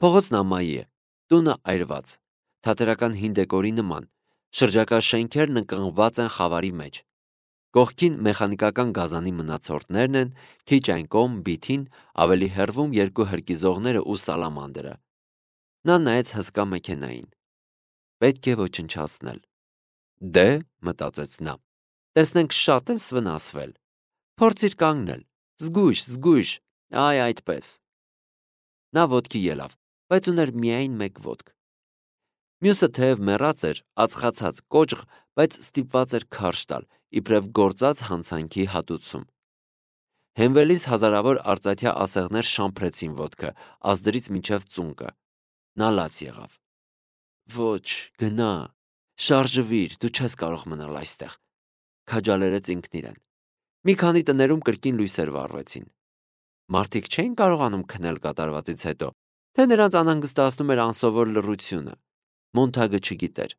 Փողոցն ամայի է, տունը այրված, թատերական հին դեկորի նման, շրջակա շենքերն ընկղմված են խավարի մեջ։ Կողքին մեխանիկական գազանի մնացորդներն են, քիչ այն կողմ բիթին, ավելի հեռվում երկու հրկիզողները ու սալամանդրը։ Նա նայեց հսկա մեքենային։ Պետք է ոչնչացնել։ Դե, մտածեց նա, տեսնենք շատ ես վնասվել։ Փորձիր կանգնել, զգույշ, այ այդպես։ Նա ոտքի ելավ, բայց ուներ միայն մեկ ոտք։ Մյուսը թեև մեռած էր, ածխացած, կոճղ, բայց ստիպված էր քարշ տալ, իբրև գործած հանցանքի հատուցում։ Հենվելիս հազարավոր արծաթյա ասեղներ շամփրեցին ոտքը, ազդրից մինչև ծունկը։ Նա լաց եղավ։ Ոչ, գնա, շարժվիր, դու չես կարող մնալ այստեղ, քաջալերեց ինքն իրեն։ Մի քանի տներում կրկին լույսեր վառվեցին։ Մարդիկ չէին կարողանում քնել կատարվածից հետո, թե նրանց անհանգստացնում էր անսովոր լռությունը։ Մոնթագը չգիտեր։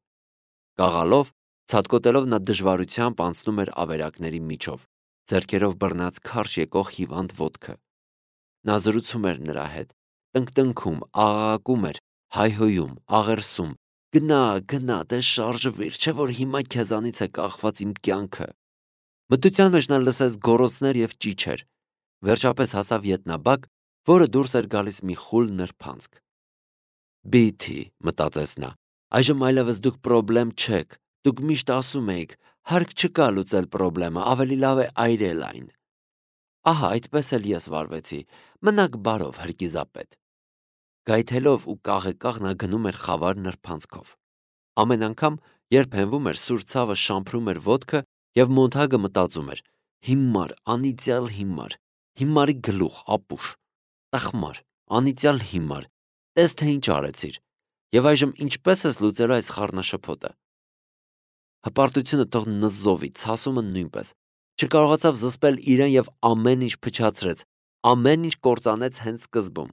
Կաղալով, ցատկոտելով նա դժվարությամբ անցնում էր ավերակների միջով, ձեռքերով բռնած քարշ եկող հիվանդ ոտքը։ Նա զրուցում էր նրա հետ, տնկտնքում, աղաղակում էր, հայհոյում, աղերսում. Գնա, դե շարժվիր, չէ որ հիմա քեզանից է կախված իմ կյանքը։ Մթության մեջ նա լսեց գոռոցներ եւ ճիչեր։ Վերջապես հասավ ետնաբակ, որը դուրս էր գալիս մի խուլ նրբանցք։ Բիթի, մտածեց նա, այժմ այլևս դուք պրոբլեմ չեք, դուք միշտ ասում էիք, հարկ չկա լուծել պրոբլեմը, ավելի լավ է այրել այն։ Ահա, այդպես էլ ես վարվեցի, մնաք բարով, հրկիզապետ։ Գայթելով ու կաղեկաղ նա գնում էր խավար նրբանցքով։ Ամեն անգամ, երբ հենվում էր, սուր ցավը շամփրում էր ոտքը եւ Մոնթագը մտածում էր. հիմար, անիծյալ հիմար, հիմարի գլուխ, ապուշ, տխմար, անիծյալ հիմար, տես թե ինչ արեցիր, եւ այժմ ինչպես ես լուծելու այս խառնաշփոթը։ Հպարտությունը թող նզովի, ցասումը նույնպես։ Չկարողացավ զսպել իրեն եւ ամեն ինչ փչացրեց, ամեն ինչ կործանեց հենց սկզբում։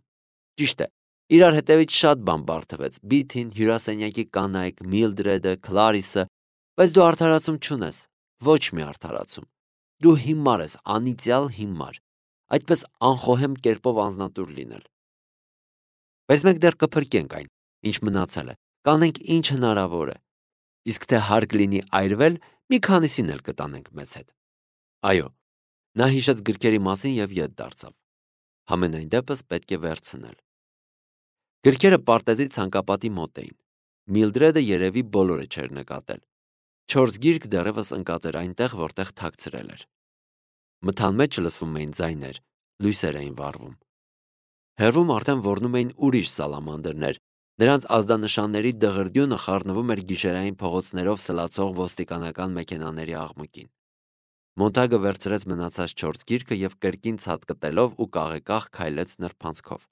Ճիշտ է, իրար հետևից շատ բան բարթվեց, Բիթին, հյուրասենյակի կանայք, Միլդրեդը, Քլարիսը, բայց դու արդարացում չունես, ոչ մի արդարացում։ Դու հիմար ես, անիծյալ հիմար, այդպես անխոհեմ կերպով անձնատուր լինել։ Բայց մենք դեռ կփրկենք այն, ինչ մնացել է, կանենք ինչ հնարավոր է։ Իսկ թե հարկ լինի այրվել, մի քանիսին էլ կտանենք մեզ հետ։ Այո, նա հիշեց գրքերի մասին եւ ետ դարձավ։ Համենայն դեպս պետք է վերցնել։ Գրքերը պարտեզի ցանկապատի մոտ էին։ Միլդրեդը երևի բոլորը չէր նկատել։ 4 գիրք դեռևս ընկած էր այնտեղ, որտեղ թաքցրել էր։ Մթան մեջ լսվում էին ձայներ, լույսեր էին վառվում։ Հեռվում արդեն ոռնում էին ուրիշ սալամանդրներ, նրանց ազդանշանների դղրդյունը խառնվում էր գիշերային փողոցներով սլացող ոստիկանական մեքենաների աղմուկին։ Մոնթագը վերցրեց մնացած 4 գիրկը եւ կրկին ցատկտելով ու կաղեկաղ քայլեց նրբանցքով։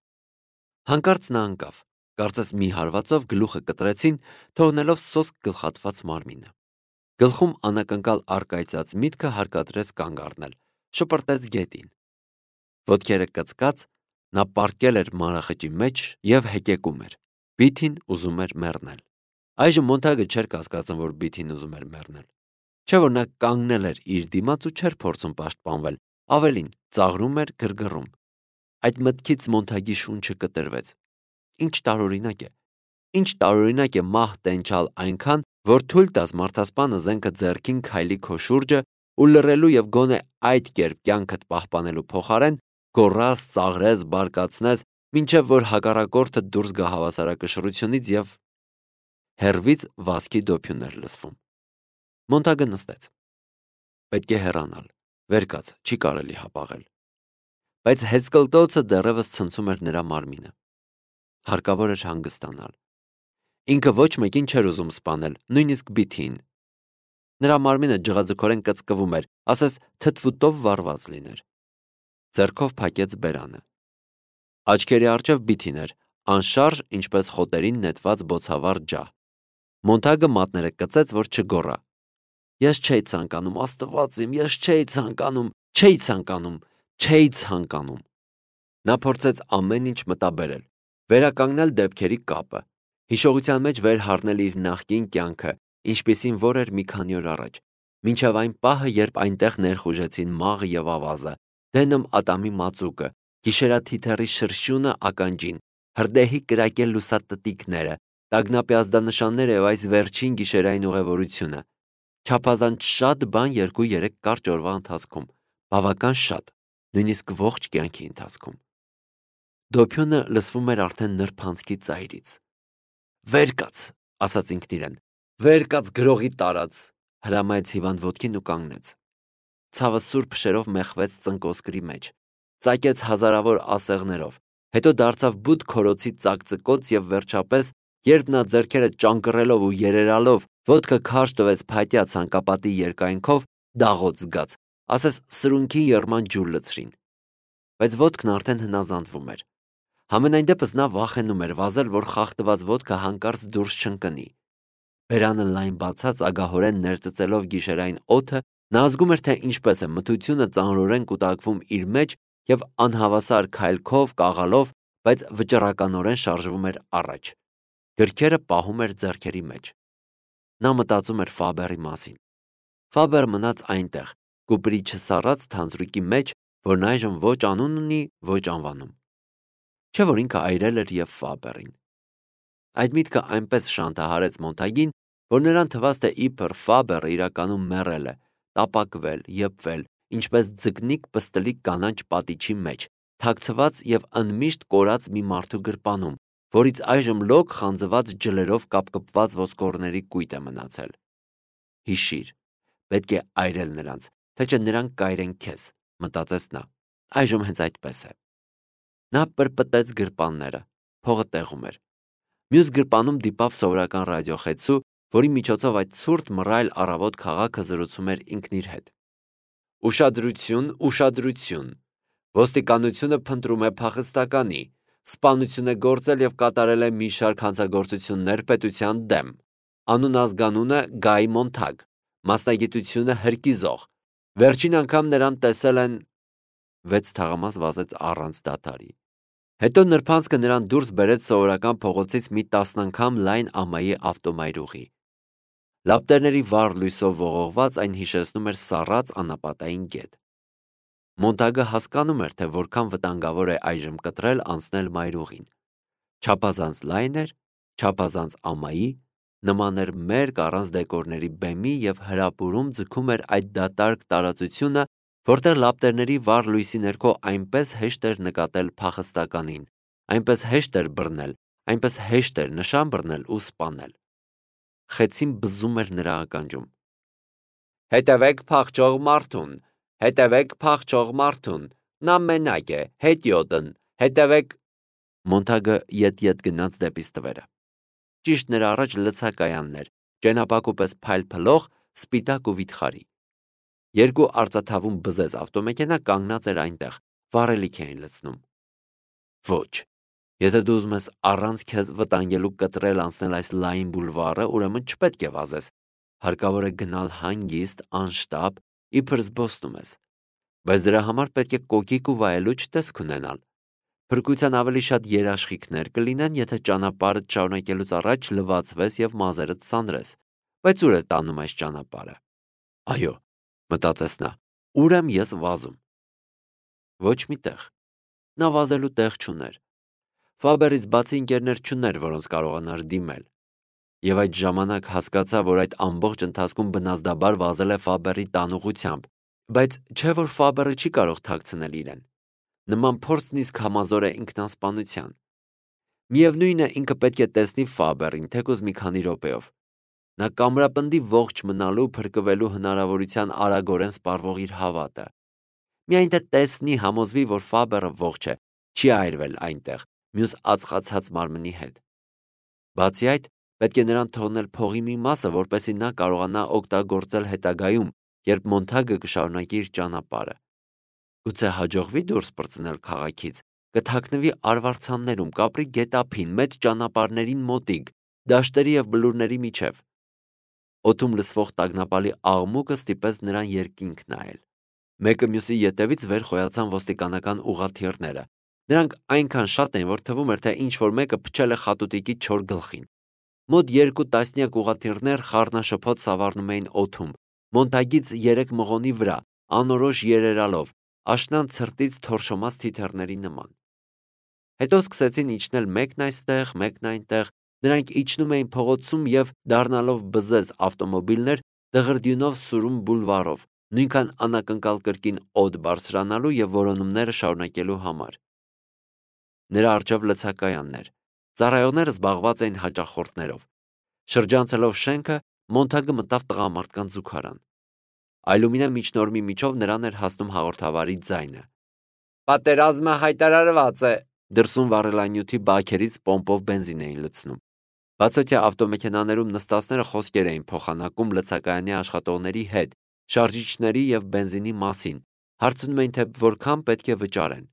Հանկարծ նա ընկավ, կարծես մի հարվածով գլուխը կտրեցին, թողնելով սոսկ գլխատված մարմինը։ Գլխում անակնկալ առկայծած միտքը հարկադրեց կանգ առնել, շպրտեց գետին։ Ոտքերը կծկած, նա պառկել էր մանրախճի մեջ եւ հեկեկում էր։ Բիթին ուզում էր մեռնել։ Այժմ Մոնթագը չէր կասկածում, որ Բիթին ուզում էր մեռնել։ Չէ որ նա կանգնել էր իր դիմաց ու չէր փորձում պաշտպանվել, ավելին, ծաղրում էր, գրգռում։ Այդ մտքից Մոնթագի շունչը կտրվեց։ Ինչ տարօրինակ է մահ տենչալ այնքան, որ թույլ տաս մարդասպանը զենքը ձեռքին քայլի քո շուրջը ու լռելու եւ գոնե այդ կերպ կյանքդ պահպանելու փոխարեն գոռաս, ծաղրես, բարկացնես, մինչև որ հակառակորդը դուրս գա հավասարակշռությունից եւ հերվից վազքի դոփյուն էր լսվում։ Մոնթագը նստեց։ Պետք է հեռանալ, վեր կաց, չի կարելի հապաղել։ Բայց հեծկլտոցը դեռևս ցնցում էր նրա մարմինը։ Հարկավոր էր հանգստանալ։ Ինքը ոչ մեկին չէր ուզում սպանել, նույնիսկ Բիթին։ Նրա մարմինը ջղաձգորեն կծկվում էր, ասես թթվուտով վառված լիներ։ Ձեռքով փակեց բերանը։ Աչքերի առջև Բիթին էր, անշարժ, ինչպես խոտերին նետված բոցավառ ջահ։ Մոնթագը մատները կծեց, որ չգոռա։ Ես չէի ցանկանում, Աստված իմ, ես չէի ցանկանում։ Նա փորձեց ամեն ինչ մտաբերել, վերականգնել դեպքերի կապը, հիշողության մեջ վեր հառնել իր նախկին կյանքը, ինչպիսին որ էր մի քանի օր առաջ, մինչև այն պահը, երբ այնտեղ ներխուժեցին մաղը եւ ավազը, դենմ ատամի մածուկը, գիշերաթիթեռի շրշյունը ականջին, հրդեհի կրակել լուսատտիկները, տագնապի ազդանշանները եւ այս վերջին գիշերային ուղևորությունը։ Չափազանց շատ բան 2-3 կարճ օրվա ընթացքում, բավական շատ, նույնիսկ ողջ կյանքի ընթացքում։ Դոփյունը լսվում էր արդեն նրբանցքի ծայրից։ «Վեր կաց», ասաց ինքն իրեն, «վեր կաց գրողի տարած», հրամայեց հիվանդ ոտքին ու կանգնեց։ Ցավը սուր փշերով մեխվեց ծնկոսկրի մեջ, ծակեց հազարավոր ասեղներով, հետո դարձավ բութ քորոցի ծակծկոց եւ վերջապես, երբ նա ձեռքերը ճանկռելով ու երերալով ոտքը քարշ տվեց փայտյա ցանկապատի երկայնքով, դաղոց զգաց, ասես սրունքի եռման ջուր լցրին։ Բայց ոտքն արդեն հնազանդվում էր։ Համենայն դեպս նա վախենում էր վազել, որ խախտված ոտքը հանկարծ դուրս չընկնի։ Բերանը լայն բացած ագահորեն ներծծելով գիշերային օդը, նա զգում էր, թե ինչպես է մթությունը ծանրորեն կուտակվում իր մեջ եւ անհավասար քայլքով, կաղալով, բայց վճռականորեն շարժվում էր առաջ։ Գրքերը պահում էր ձեռքերի մեջ։ Նա մտածում էր Ֆաբերի մասին։ Ֆաբերը մնաց այնտեղ, կուպրի չսառած թանձրուկի մեջ, որն այժմ ոչ անուն ունի, ոչ անվանում։ Չէ՞ որ ինքը այրել էր եւ Ֆաբերին։ Այդ միտքը այնպես շանթահարեց Մոնտագին, որ նրան թվաց, թե իբր Ֆաբերը իրականում մեռել է, տապակվել, եփվել, ինչպես ձկնիկ պստլիկ կանաչ պատիչի մեջ, թաքցված եւ ընդմիշտ կորած մի մարդու գրպանում, որից այժմ լոկ խանձված ջլերով կապկպված ոսկորների կույտ է մնացել։ Հիշիր, պետք է այրել նրանց, թե չէ նրանք կայրեն քեզ, մտածեց նա։ Այժմ հենց այդպես է։ Նա պրպտեց գրպանները, փողը տեղում էր։ Մյուս գրպանում դիպավ սովորական ռադիոխեցու, որի միջոցով այդ ցուրտ մռայլ առավոտ քաղաքը զրուցում էր ինքն իր հետ։ Ուշադրություն, ուշադրություն։ Ոստիկանությունը փնտրում է փախստականի, սպանություն է գործել եւ կատարել է մի շարք հանցագործություններ պետության դեմ։ Անուն ազգանունը Գայ Մոնթագ, մասնագիտությունը հրկիզող։ Վերջին անգամ նրան տեսել են 6 թաղամաս վազեց առանց դադարի։ Հետո նրբանցքը նրան դուրս բերեց սովորական փողոցից մի 10 անգամ լայն ամայի ավտոմայրուղի։ Լապտերների վառ լույսով ողողված այն հիշեցնում էր սառած անապատային գետ։ Մոնտագը հասկանում էր, թե որքան վտանգավոր է այժմ կտրել անցնել մայրուղին։ Չափազանց լայն էր, չափազանց ամայի, նման էր մերկ առանց դեկորների բեմի եւ հրապուրում ձգում էր այդ դատարկ տարածությունը, որտեղ լապտերների վառ լույսի ներքո այնպես հեշտ էր նկատել փախստականին, այնպես հեշտ էր բռնել, այնպես հեշտ էր նշան բռնել ու սպանել։ Խեցին բզում էր նրա ականջում։ Հետևեք փախչող մարդուն, հետևեք փախչող մարդուն, նա մենակ է, հետիոտն, հետևեք։ Մոնտագը ետ-ետ գնաց դեպի ստվերը։ Ճիշտ նրա առաջ լցակայաններ, ճենապակու պես փայլփլող, սպիտակ ու վիթխարի։ Երկու արծաթավուն բզեզ ավտոմեքենա կանգնած էր այնտեղ, վառելիք էին լցնում։ Ոչ, եթե դու ուզում ես առանց քեզ վտանգելու կտրել անցնել այս լայն բուլվարը, ուրեմն չպետք է վազես։ Հարկավոր է գնալ հանգիստ, անշտապ, իբր զբոսնում ես։ Բայց դրա համար պետք է կոկիկ ու վայելուչ տեսք ունենալ։ Փրկության ավելի շատ երաշխիքներ կլինեն, եթե ճանապարհը շարունակելուց առաջ լվացվես եւ մազերդ սանրես։ Բայց ուր է տանում այս ճանապարհը։ Այո, մտածեց նա, ուր եմ ես վազում։ Ոչ մի տեղ։ Նա վազելու տեղ չուներ։ Ֆաբերից բացի ընկերներ չուներ, որոնց կարողանար դիմել։ Եվ այդ ժամանակ հասկացա, որ այդ ամբողջ ընթացքում բնազդաբար վազել է Ֆաբերի տանուղությամբ, բայց չէ որ Ֆաբերը չի կարող թաքցնել իրեն։ Նման փորձն իսկ համազոր է ինքնասպանության։ Միևնույն է, ինքը պետք է տեսնի Ֆաբերին, թեկուզ մի քանի րոպեով։ Նա կամրապնդի ողջ մնալու, փրկվելու հնարավորության արագորեն սպառվող իր հավատը։ Միայն թե տեսնի, համոզվի, որ Ֆաբերը ողջ է, չի այրվել այնտեղ, մյուս ածխացած մարմնի հետ։ Բացի այդ, պետք է նրան թողնել փողի մի մասը, որպեսզի նա կարողանա օգտագործել հետագայում, երբ Մոնթագը կշարունակի իր ճանապարհը։ Գուցե հաջողվի դուրս պրծնել քաղաքից, կթաքնվի արվարձաններում, կապրի գետափին, մեծ ճանապարհներին մոտիկ, դաշտերի եւ բլուրների միջև։ Օդում լսվող տագնապալի աղմուկը ստիպեց նրան երկինք նայել։ Մեկը մյուսի ետևից վեր խոյացան ոստիկանական ուղղաթիռները։ Նրանք այնքան շատ էին, որ թվում էր, թե ինչ-որ մեկը փչել է խատուտիկի չոր գլխին։ Մոտ 2 տասնյակ ուղղաթիռներ խառնաշփոթ սավառնում էին օդում, Մոնտագից 3 մղոնի վրա, անորոշ երերալով, աշնան ցրտից թորշոմած թիթեռների նման։ Հետո սկսեցին իջնել մեկն այստեղ, մեկն այնտեղ, նրանք իջնում էին փողոցում և դառնալով բզեզ ավտոմոբիլներ դղրդյունով սուրում բուլվարով, նույնքան անակնկալ կրկին օդ բարձրանալու և որոնումները շարունակելու համար։ Նրա առջև լցակայաններ, ծառայողները զբաղված էին հաճախորդներով։ Շրջանցելով շենքը, Մոնթագը մտավ տղամարդկանց զուգարան։ Այլումինե միջնորմի միջով նրան էր հասնում հաղորդավարի ձայնը։ «Պատերազմը հայտարարված է», դրսում վառելանյութի բաքերից պոմպով բենզին էին լցնում։ Բացօթյա ավտոմեքենաներում նստածները խոսքեր էին փոխանակում լցակայանի աշխատողների հետ շարժիչների և բենզինի մասին, հարցնում էին, թե որքան պետք է վճարեն։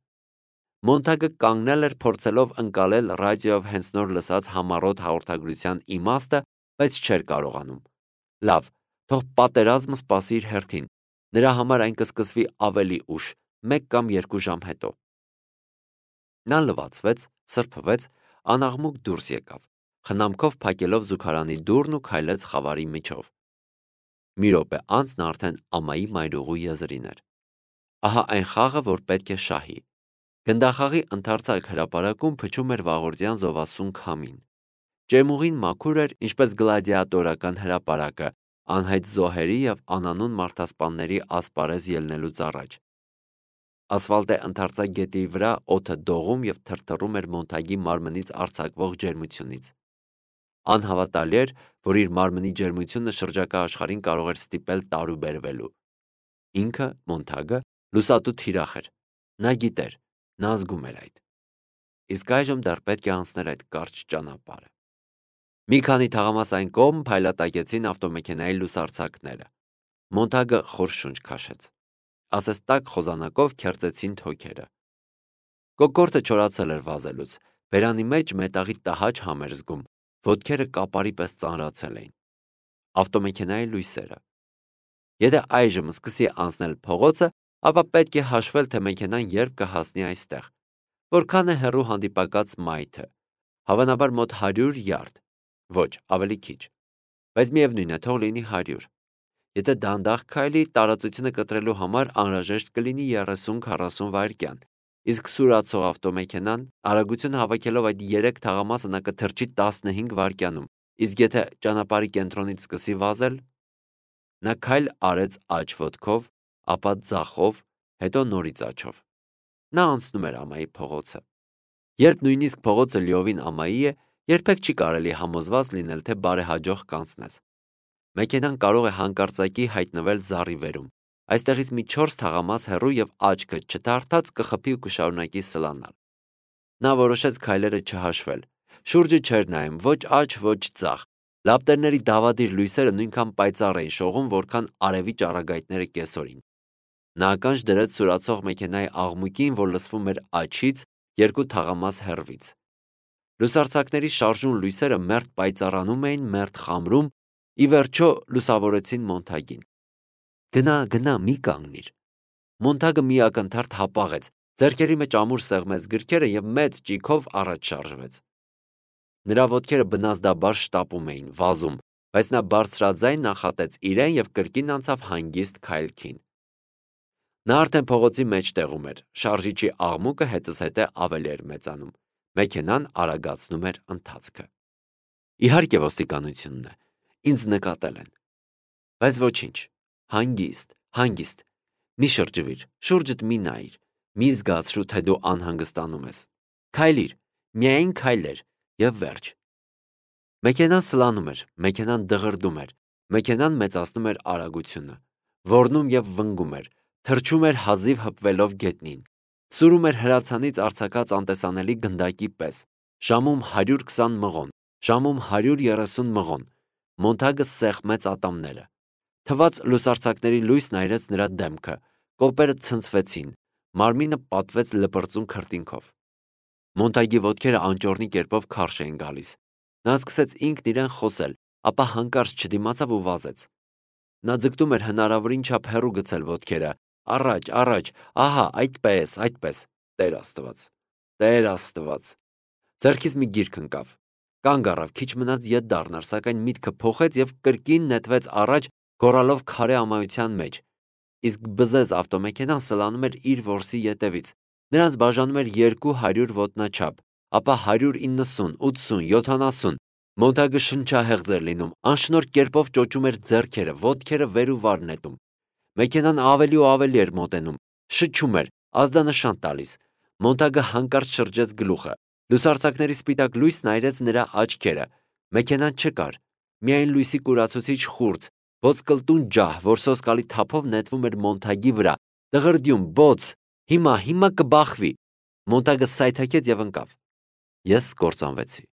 Մոնթագը կանգնել էր փորձելով ընկալել ռադիոյով հենց նոր լսած համառոտ հաղորդագրության իմաստը, բայց չէր կարողանում։ Լավ, թող պատերազմը սպասի իր հերթին, նրա համար այն կսկսվի ավելի ուշ, 1 կամ 2 ժամ հետո։ Նա լվացվեց, սրբվեց, անաղմուկ դուրս եկավ, խնամքով փակելով զուգարանի դուռն ու քայլեց խավարի միջով։ Մի րոպե անց նա արդեն ամայի մայրուղու եզրին էր։ Ահա այն խաղը, որ պետք է շահի։ Գնդախաղի ընդարձակ հրապարակում փչում էր վաղորդյան զովասուն քամին։ Ջերմուղին մաքուր էր, ինչպես գլադիատորական հրապարակը, անհայտ զոհերի և անանուն մարդասպանների ասպարեզ ելնելուց առաջ։ Ասֆալտե ընդարձակ գետի վրա օդը դողում և թրթռում էր Մոնթագի մարմնից արձակվող ջերմությունից։ Անհավատալի էր, որ իր մարմնի ջերմությունը շրջակա աշխարհին կարող էր ստիպել տարուբերվելու։ Ինքը, Մոնթագը, լուսատու թիրախ էր։ Նա գիտեր, նա զգում էր այդ։ Իսկ այժմ դեռ պետք է անցներ այդ կարճ ճանապարհը։ Մի քանի թաղամաս այն կողմ փայլատակեցին ավտոմեքենայի լուսարձակները։ Մոնթագը խոր շունչ քաշեց։ Ասես տաք խոզանակով քերծեցին թոքերը։ Կոկորդը չորացել էր վազելուց, բերանի մեջ մետաղի տհաճ համ էր զգում, ոտքերը կապարի պես ծանրացել էին։ Ավտոմեքենայի լույսերը։ Եթե այժմ սկսի անցնել փողոցը, ապա պետք է հաշվել, թե մեքենան երբ կհասնի այստեղ։ Որքան է հեռու հանդիպակաց մայթը։ Հավանաբար մոտ 100 յարդ։ Ոչ, ավելի քիչ։ Բայց միևնույն է, թող լինի 100։ Եթե դանդաղ քայլի, տարածությունը կտրելու համար անհրաժեշտ կլինի 30-40 վայրկյան, իսկ սուրացող ավտոմեքենան արագությունը հավաքելով այդ 3 թաղամասը նա կթռչի 15 վայրկյանում, իսկ եթե ճանապարհի կենտրոնից սկսի վազել, նա քայլ արեց աջ ոտքով, ապա ձախով, հետո նորից աջով։ Նա անցնում էր ամայի փողոցը։ Երբ նույնիսկ փողոցը լիովին ամայի է, երբեք չի կարելի համոզված լինել, թե բարեհաջող կանցնես։ Մեքենան կարող է հանկարծակի հայտնվել զառիվերում, այստեղից մի 4 թաղամաս հեռու և աչքը չդարթած կխփի ու կշարունակի սլանալ։ Նա որոշեց քայլերը չհաշվել։ Շուրջը չէր նայում ոչ աջ, ոչ ձախ։ Լապտերների դավադիր լույսերը նույնքան պայծառ էին շողում, որքան արևի ճառագայթները կեսօրին։ Նա ականջ դրեց սուրացող մեքենայի աղմուկին, որ լսվում էր աջից, 2 թաղամաս հեռվից։ Լուսարձակների շարժուն լույսերը մերթ պայծառանում էին, մերթ խամրում, ի վերջո լուսավորեցին Մոնթագին։ Գնա, մի կանգնիր։ Մոնթագը մի ակնթարթ հապաղեց, ձեռքերի մեջ ամուր սեղմեց գրքերը և մեծ ճիգով առաջ շարժվեց։ Նրա ոտքերը բնազդաբար շտապում էին, վազում, բայց նա բարձրաձայն նախատեց իրեն և կրկին անցավ հանգիստ քայլքին։ Նա արդեն փողոցի մեջտեղում էր, շարժիչի աղմուկը հետզհետե ավելի էր մեծանում, մեքենան արագացնում էր ընթացքը։ Իհարկե ոստիկանությունն է, ինձ նկատել են։ Բայց ոչինչ, հանգիստ, մի շրջվիր, շուրջդ մի նայիր, մի զգացրու, թե դու անհանգստանում ես։ Քայլիր, միայն քայլեր և վերջ։ Մեքենան սլանում էր, մեքենան դղրդում էր, մեքենան մեծացնում էր արագությունը, ոռնում և վնգում էր, թռչում էր հազիվ հպվելով գետնին, սուրում էր հրացանից արձակած անտեսանելի գնդակի պես, ժամում 120 մղոն, ժամում 130 մղոն։ Մոնթագը սեղմեց ատամները։ Թվաց լուսարձակների լույսն այրեց նրա դեմքը, կոպերը ցնցվեցին, մարմինը պատվեց լպրծուն քրտինքով։ Մոնթագի ոտքերը անճոռնի կերպով քարշ էին գալիս։ Նա սկսեց ինքն իրեն խոսել, ապա հանկարծ չդիմացավ ու վազեց։ Նա ձգտում էր հնարավորին չափ հեռու գցել ոտքերը, առաջ, ահա, այդպես, Տեր Աստված։ Ձեռքից մի գիրք ընկավ, կանգ առավ, քիչ մնաց ետ դառնար, սակայն միտքը փոխեց և կրկին նետվեց առաջ, գոռալով քարե ամայության մեջ, իսկ բզեզ ավտոմեքենան սլանում էր իր որսի ետևից։ Նրանց բաժանում էր 200 ոտնաչափ, ապա 190, 80, 70, Մոնտագը շնչահեղձ էր լինում, անշնորհ կերպով ճոճում էր ձեռքերը, ոտքերը վեր ու վար նետում։ Մեքենան ավելի ու ավելի էր մոտենում, շչում էր, ազդանշան տալիս։ Մոնտագը հանկարծ շրջեց գլուխը։ Լուսարձակների սպիտակ լույսն այրեց նրա աչքերը։ Մեքենան չկար, միայն լույսի կուրացուցիչ խուրձ, ոսկլտուն ջահ, որ սոսկալի թափով նետվում էր Մոնտագի վրա։ Դղրդյուն, բոց, հիմա կբախվի։ Մոնտագը սայթաքեց եւ ընկավ։ Ես կործանվեցի։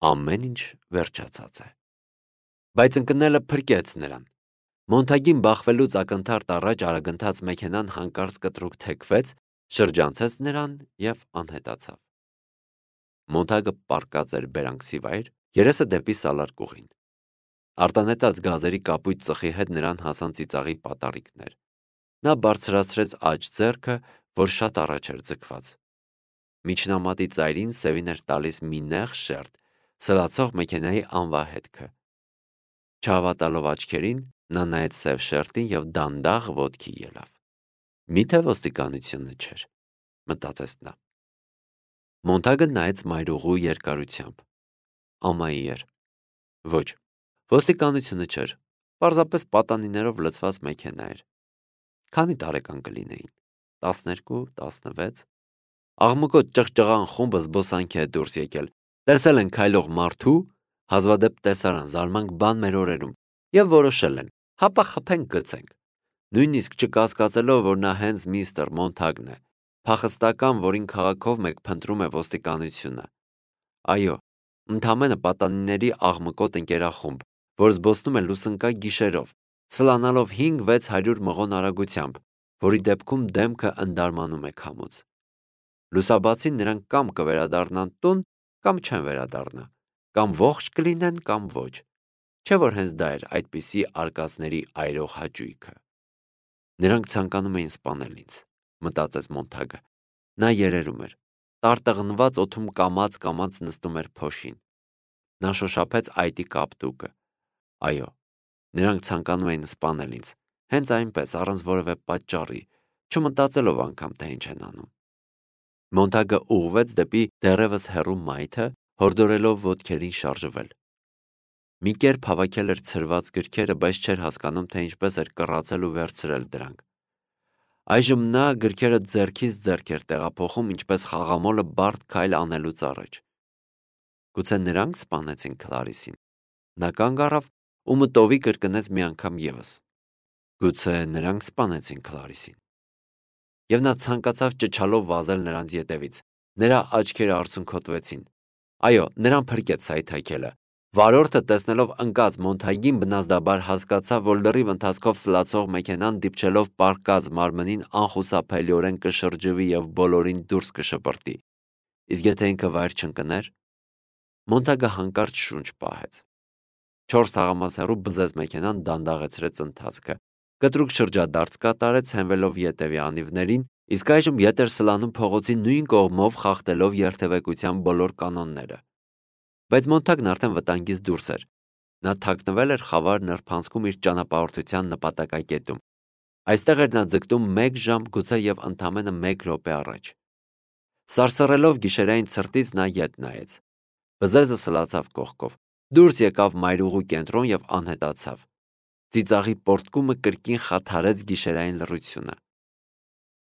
Ամեն ինչ վերջացած է։ Բայց ընկնելը փրկեց նրան։ Մոնտագին բախվելուց ակնթարթ առաջ արագընթաց մեքենան հանկարծ կտրուկ թեքվեց, շրջանցեց նրան եւ անհետացավ։ Մոնտագը պառկած էր բերանքսի վայր, երեսը դեպի սալարկուղին։ Արտանետած գազերի կապույտ ծխի հետ նրան հասան ծիծաղի պատառիկներ։ Նա բարձրացրեց աջ ձեռքը, որ շատ առաջ էր ձգված։ Միջնամատի ծայրին սևին էր տալիս մի նեղ շերտ, սլացող մեքենայի անվահետքը։ Չհավատալով աչքերին, նա նայեց սև շերտին եւ դանդաղ ոտքի ելավ։ Միթե ոստիկանությունը չէր, մտածեց նա։ Մոնտագը նայեց մայրուղու երկարությամբ։ Ամայի էր։ Ոչ, ոստիկանությունը չէր, պարզապես պատանիներով լցված մեքենա էր։ Քանի տարեկան կլինեին։ 12, 16։ Աղմկոտ ճղճղան խումբը զբոսանքի է դուրս եկել։ Տեսել են քայլող մարդու, հազվադեպ տեսարան, զարմանք բան մեր օրերում, եւ որոշել են, հապա խփենք գցենք։ Նույնիսկ չկասկածելով, որ նա հենց միստր Մոնտագն է, փախստական, որին քաղաքով մեկ փնտրում է ոստիկանությունը։ Այո, ընդամենը պատանիների աղմկոտ ընկերախումբ, որ զբոսնում է լուսնկա գիշերով, սլանալով 5-600 մղոն արագությամբ, որի դեպքում դեմքը ընդարմանում է քամուց։ Լուսաբացին նրանք կամ կվերադառնան տուն, կամ չեն վերադառնա, կամ ողջ կլինեն, կամ ոչ։ Չէ՞ որ հենց դա էր այդպիսի արկածների այրող հաճույքը։ Նրանք ցանկանում էին սպանել ինձ, մտածեց Մոնտագը։ Նա երերում էր, տարտղնված օդում կամաց նստում էր փոշին։ Նա շոշափեց այտի կապտուկը։ Այո, նրանք ցանկանում էին սպանել ինձ, հենց այնպես, առանց որևէ պատճառի, չմտածելով անգամ, թե ինչ են անում։ Մոնտագը ուղղվեց դեպի դեռևս հեռու մայթը, հորդորելով ոտքերին շարժվել։ Մի կերպ հավաքել էր ցրված գրքերը, բայց չէր հասկանում, թե ինչպես էր կռացել ու վերցրել դրանք։ Այժմ նա գրքերը ձեռքից ձեռք էր տեղափոխում, ինչպես խաղամոլը բարդ քայլ անելուց առաջ։ Գուցե նրանք սպանեցին Քլարիսին։ Նա կանգ առավ ու մտովի կրկնեց մի անգամ եւս։ Գուցե նրանք սպանեցին Քլարիսին։ Եվ նա ցանկացավ ճչալով վազել նրանց ետևից։ Նրա աչքերը արցունքոտվեցին։ Այո, նրան փրկեց սայթաքելը։ Վարորդը տեսնելով ընկած Մոնտագին բնազդաբար հասկացավ, որ լրիվ ընթացքով սլացող մեքենան դիպչելով պառկած մարմնին անխուսափելիորեն կշրջվի եւ բոլորին դուրս կշպրտի։ Իսկ եթե ինքը վայր չընկներ, Մոնտագը հանկարծ շունչ պահեց։ 4 թաղամաս հեռու բզեց մեքենան, դանդաղեցրեց ընթացքը։ Կտրուկ շրջադարձ կատարեց, հենվելով ետևի անիվներին, իսկ այժմ ետ էր սլանում փողոցի նույն կողմով, խախտելով երթևեկության բոլոր կանոնները։ Բայց Մոնտագն արդեն վտանգից դուրս էր։ Նա թաքնվել էր խավար նրբանցքում իր ճանապարհորդության նպատակակետում։ Այստեղ էր նա ձգտում 1 ժամ, գուցե եւ ընդամենը 1 րոպե առաջ։ Սարսռելով գիշերային ցրտից նա ետ նայեց։ Բզեզը սլացավ կողքով, դուրս եկավ մայրուղու կենտրոն եւ անհետացավ։ Ծիծաղի պոռթկումը կրկին խաթարեց գիշերային լռությունը։